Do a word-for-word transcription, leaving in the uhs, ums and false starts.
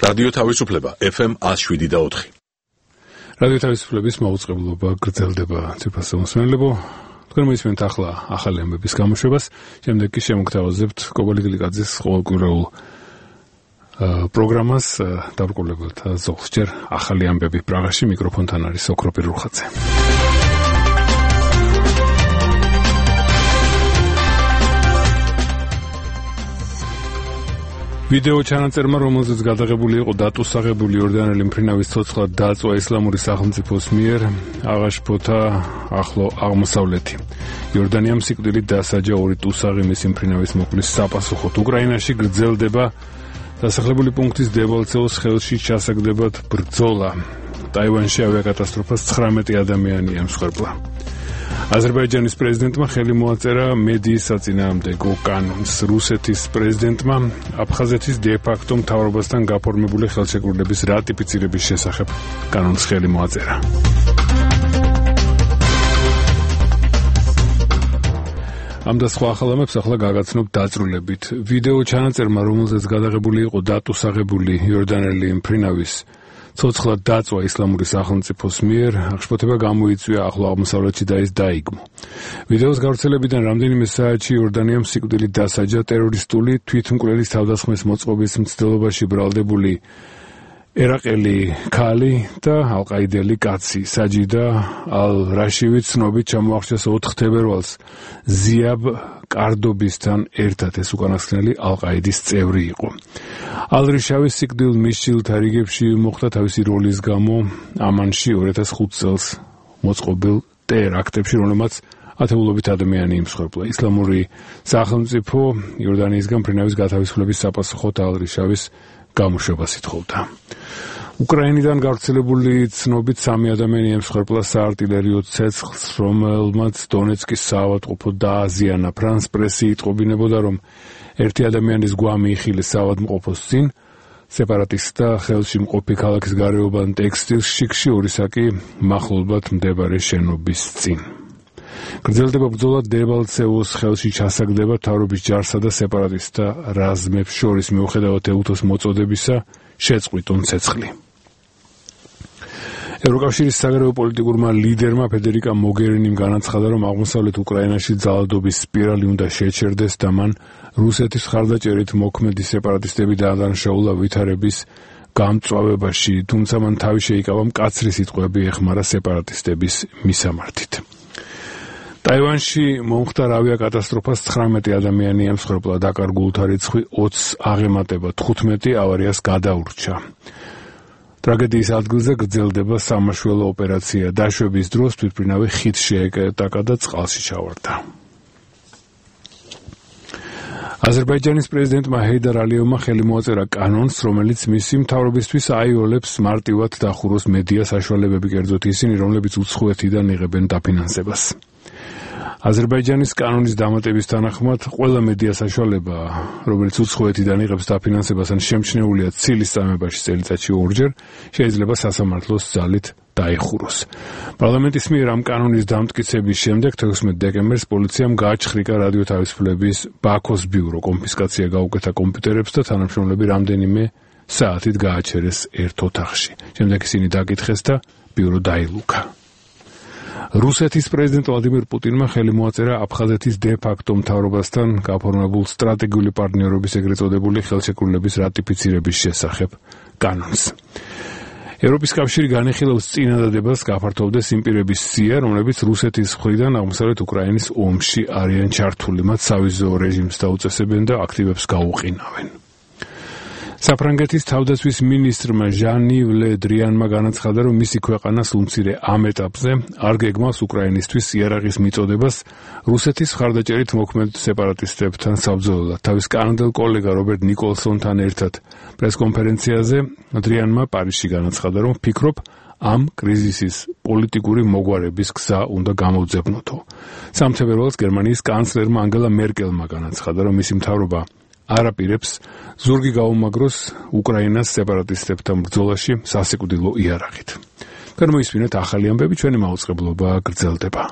რადიო თავისუფლება ეფ ემ ათს შვიდი და ოთხი. რადიო თავისუფლების მაუწყებლობა გრძელდება ციფრასა მოსმენელებო. თქვენ მოისმენთ ახლა ახალი ამბების გამოშვებას, შემდეგ კი შემოგთავაზებთ კობალი გლიკაძის ყოველკვირეულ პროგრამას დაბრკოლებელთა ზოლს. ჯერ ახალი ამბები პრაღაში, მიკროფონთან არის ოქრო პირურხაძე. ვიდეო ჩანაწერმა, რომელზეც გადაღებული იყო დატუსაღებული იორდანელი მფრინავის ცოცხლად დაწვა ისლამური სახელმწიფოს მიერ, აღაშფოთა ახლო აღმოსავლეთი. იორდანიამ სიკვდილით დასაჯა ორი ტუსაღი მისი მფრინავის მოკვლის საპასუხოდ. უკრაინაში გრძელდება დასახლებული პუნქტის დევალცეოს ხელში ჩასაგდებად ბრძოლა. ტაივანში ავიაკატასტროფას ცხრამეტი ადამიანი ემსხვერპლა. აზერბაიჯანის პრეზიდენტმა ხელი მოაწერა მედიის საწინააღმდეგო კანონს. რუსეთის პრეზიდენტმა აფხაზეთის დე-ფაქტო მთავრობასთან გაფორმებული ხელშეკრულების რატიფიცირების შესახებ კანონს ხელი მოაწერა. ამ და სხვა ახალამებს ახლა გაგაცნობ დაწვრილებით. ვიდეო ჩანაწერმა, რომელზეც გადაღებული იყო დატუსაღებული იორდანელი მფრინავის ცოცხლად დაწვა ისლამური სახელმწიფოს მიერ, აღშფოთება გამოიწვია ახლო აღმოსავლეთში და ის დაიგმო. ვიდეოს გავრცელებიდან რამდენიმე საათში იორდანიამ სიკვდილით დასაჯა ტერორისტული თვითმკვლელის თავდასხმის მოწყობის მცდელობაში ბრალდებული ერაყელი ქალი და ალყაიდელი კაცი. საჯიდა ალ-რაშივი ცნობით ჩამოახშეს ოთხ თებერვალს ზიაბ კარდობისთან ერთად. ეს უკანასკნელი ალყაიდის წევრი იყო. ალ-რიშავის სიკვდილ მისჯილთა რიგებში მოხდა თავისი როლის გამო ამანში ორი ათას ხუთი წელს მოწყობილ ტერაქტებში, რომელმაც ათეულობით ადამიანი იმსხვერპლა. ისლამური სახელმწიფო იორდანიისგან მფრინავის გათავისუფლების საპასუხოდ ალ-რიშავის გამოშვებას ითხოვდა. უკრაინიდან გავრცელებული ცნობით სამი ადამიანი ემსხვერპლა საარტილერიო ცეცხლს, რომელმაც დონეცკის საავადმყოფო დააზიანა. ფრანს პრესი იტყობინებოდა, რომ ერთი ადამიანის გვამი იხილეს საავადმყოფოს წინ, სეპარატისტთა ხელში მყოფი ქალაქის გარეუბან ტექსტილ შიქში, ორი საკი მახლობლად მდებარე შენობის წინ. გრძელდება ბრძოლა დევალცეოს ხელში ჩასაგდება მთავრობის ჯარსა და სეპარატისტთა რაზმებს შორის, მიუხედავად ეუთოს მოწოდებისა შეწყვიტონ ცეცხლი. ევროკავშირის საგარეო პოლიტიკურმა ლიდერმა ფედერიკა მოგერინიმ განაცხადა, რომ აღმოსავლეთ უკრაინაში ძალადობის სპირალი უნდა შეჩერდეს და მან რუსეთის მხარდაჭერით მოქმედი სეპარატისტები დაადანაშაულა ვითარების გამწვავებაში, თუმცა მან თავი შეიკავა მკაცრი სიტყვები ეხმარა სეპარატისტების მისამართით. ტაივანში მომხდარ ავიაკატასტროფას ცხრამეტი ადამიანი ემსხვერპლა, დაკარგულთა რიცხვი ოცს აღემატება, თხუთმეტი ავარიას გადაურჩა. ტრაგედიის ადგილზე გრძელდება სამაშველო ოპერაცია. დაშვების დროს თვითმფრინავი ხიდს შეეკეტაკა და წყალში ჩავარდა. აზერბაიჯანის პრეზიდენტმა ჰეიდარ ალიევმა ხელი მოაწერა კანონს, რომელიც მისი მთავრობისთვის აიოლებს მარტივად დახუროს მედია საშუალებები, კერძოდ ისინი, რომლებიც უცხოეთიდან იღებენ დაფინანსებას. აზერბაიჯანის კანონის დამატების თანახმად ყველა მედია საშუალება, რომელიც უცხოეთიდან იღებს დაფინანსებას ან შემჩნეულია ცილის წამებაში წელიწადში ორჯერ, შეიძლება სასამართლოს ძალით დაიხუროს. პარლამენტის მიერ ამ კანონის დამტკიცების შემდეგ თექვსმეტ დეკემბერს პოლიციამ გააჩხრიკა რადიო თავისუფლების ბაქოს ბიურო, კონფისკაცია გაუკეთა კომპიუტერებს და თანამშრომლები რამდენიმე საათით გააჩერეს ერთ ოთახში. შემდეგ ისინი დაკითხეს და ბიურო დაილუქა. რუსეთის პრეზიდენტ ვლადიმირ პუტინმა ხელი მოაწერა აფხაზეთის დე-ფაქტო მთავრობასთან გაფორმებულ სტრატეგიული პარტნიორობის ეგრეთ წოდებული ხელშეკრულების რატიფიცირების შესახებ კანონს. ევროპის კავშირი განიხილავს წინადადებას გაფართოვდეს იმ პირების სია, რომლებიც რუსეთის მხრიდან აღმოსავლეთ უკრაინის ომში არიან ჩართული, მათ სავიზო რეჟიმს დაუწესებენ და აქტივებს გაუყინავენ. საფრანგეთის თავდაცვის მინისტრმა ჟან-იվ ლე დრიანმა განაცხადა, რომ მისი ქვეყანა სულმცირე ამ ეტაპზე არ გეგმავს უკრაინისთვის იარაღის მიწოდებას რუსეთის მხარდაჭერით მოქმედ სეპარატისტებთან საბრძოლველად. თავის კანადელ კოლეგა რობერტ ნიკოლსონთან ერთად პრესკონფერენციაზე დრიანმა პარიზში განაცხადა, რომ ფიქრობ, ამ კრიზისის პოლიტიკური მოგვარების გზა უნდა გამოვძებნოთო. სამ თებერვალს გერმანიის კანცლერმა ანგელა მერკელმა განაცხადა, რომ მისი მთავრობა არ აპირებს ზურგი გაუმაგროს უკრაინას სეპარატისტებთან ბრძოლაში სასიკვდილო იარაღით. განმოისმინეთ ახალი ამბები, ჩვენი მაუწყებლობა გრძელდება.